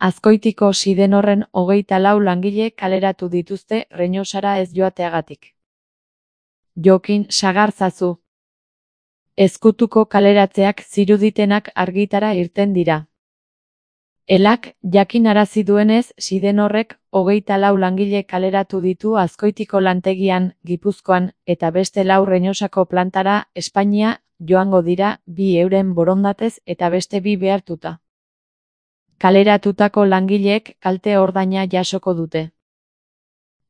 Azkoitiko Sidenorren 24 langile kaleratu dituzte Reñosara ez joateagatik. Jokin sagarzazu. Ezkutuko kaleratzeak ziruditenak argitara irten dira. Elak jakinarazi duenez, Sidenorrek 24 langile kaleratu ditu Azkoitiko lantegian, Gipuzkoan, eta beste 4 Reñosako plantara, Espainia, joango dira, 2 euren borondatez eta beste 2 behartuta. Kaleratutako langileek kalte ordaina jasoko dute.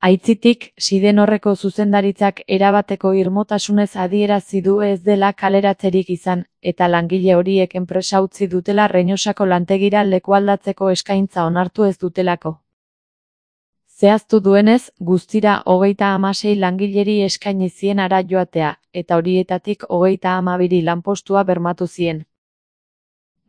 Aitzitik, Sidenorreko zuzendaritzak erabateko irmotasunez adierazi du ez dela kaleratzerik izan, eta langile horiek enpresa utzi dutela Reñosako lantegira lekualdatzeko eskaintza onartu ez dutelako. Zehaztu duenez, guztira 36 langileri eskaini zien hara joatea, eta horietatik 32 lanpostua bermatu zien.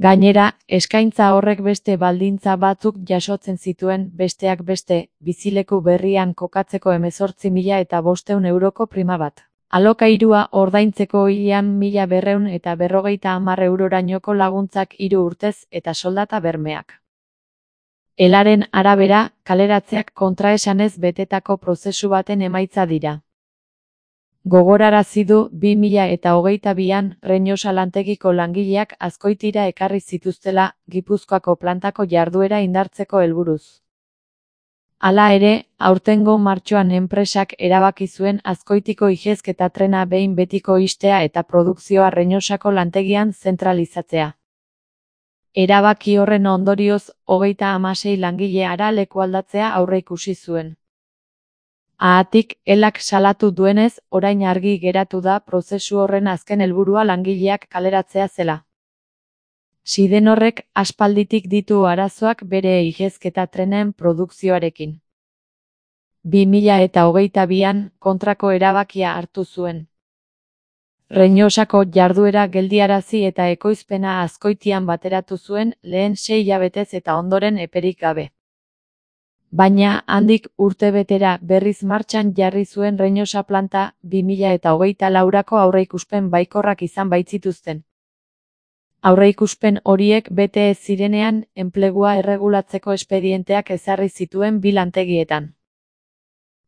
Gainera, eskaintza horrek beste baldintza batzuk jasotzen zituen, besteak beste, bizileku berrian kokatzeko 18.500 euroko prima bat. Alokairua ordaintzeko hilean 1.250 eurorainoko laguntzak 3 urtez eta soldata bermeak. Elaren arabera, kaleratzeak kontraesanez betetako prozesu baten emaitza dira. Gogorarazi du 2022an Reñosa lantegiko langileak Azkoitira ekarri zituztela, Gipuzkoako plantako jarduera indartzeko helburuz. Hala ere, aurtengo martxoan enpresak erabaki zuen Azkoitiko ihezketa trena behin betiko ixtea eta produkzioa Reñosako lantegian zentralizatzea. Erabaki horren ondorioz, 36 langile hara lekualdatzea aurreikusi zuen. Haatik, Elak salatu duenez, orain argi geratu da prozesu horren azken helburua langileak kaleratzea zela. Sidenorrek aspalditik ditu arazoak bere ihezketa trenen produkzioarekin. 2022an kontrako erabakia hartu zuen. Reñosako jarduera geldiarazi eta ekoizpena Azkoitian bateratu zuen lehen 6 hilabetez eta ondoren eperik gabe. Baina, handik urtebetera berriz martxan jarri zuen Reñosa planta 2024ko aurreikuspen baikorrak izan baitzituzten. Aurreikuspen horiek bete ez zirenean, enplegua erregulatzeko espedienteak ezarri zituen 2 lantegietan.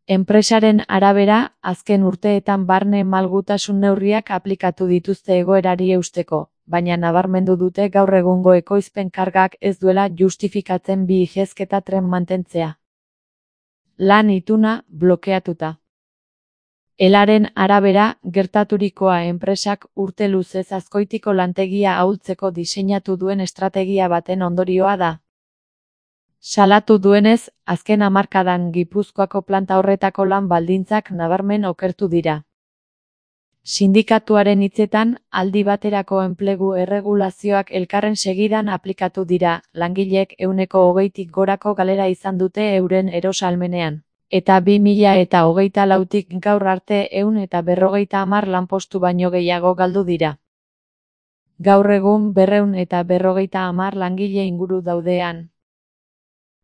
Enpresaren arabera, azken urteetan barne malgutasun neurriak aplikatu dituzte egoerari eusteko, baina nabarmendu dute gaur egungo ekoizpen kargak ez duela justifikatzen 2 ihezketa tren mantentzea. Lan ituna blokeatuta. Elaren arabera, gertaturikoa enpresak urte luzez Azkoitiko lantegia ahultzeko diseinatu duen estrategia baten ondorioa da. Salatu duenez, azken hamarkadan Gipuzkoako planta horretako lan baldintzak nabarmen okertu dira. Sindikatuaren hitzetan, aldi baterako enplegu erregulazioak elkarren segidan aplikatu dira, langileek 20%tik gorako galera izan dute euren erosahalmenean, eta 2024tik gaur arte 150 lanpostu baino gehiago galdu dira. Gaur egun 250 langile inguru daudean.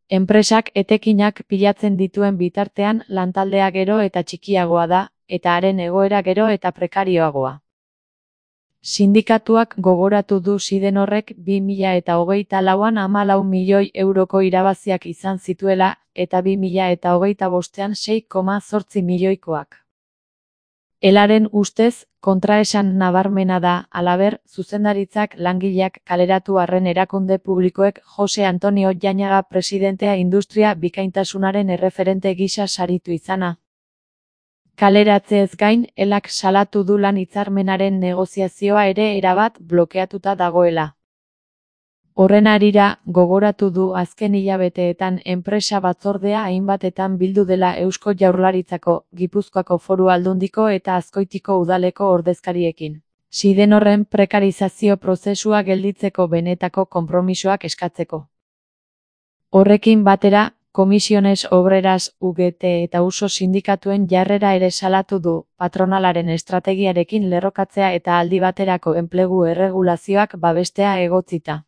Enpresak etekinak pilatzen dituen bitartean lantaldea gero eta txikiagoa da, eta haren egoera gero eta prekarioagoa. Sindikatuak gogoratu du Sidenorrek 2024an 14 milioi euroko irabaziak izan zituela, eta 2025an 6,8 milioikoak. Elaren ustez, kontraesan nabarmena da, halaber, zuzendaritzak langileak kaleratu arren erakunde publikoek Jose Antonio Jañaga presidentea industria bikaintasunaren erreferente gisa saritu izana. Kaleratzeez gain, Elak salatu du lan hitzarmenaren negoziazioa ere erabat blokeatuta dagoela. Horren harira, gogoratu du azken hilabeteetan enpresa batzordea hainbatetan bildu dela Eusko Jaurlaritzako, Gipuzkoako Foru Aldundiko eta Azkoitiko udaleko ordezkariekin. Sidenorren prekarizazio prozesua gelditzeko benetako konpromisoak eskatzeko. Horrekin batera, Comisiones Obreras, UGT eta USO sindikatuen jarrera ere salatu du, patronalaren estrategiarekin lerrokatzea eta aldi baterako enplegu erregulazioak babestea egotzita.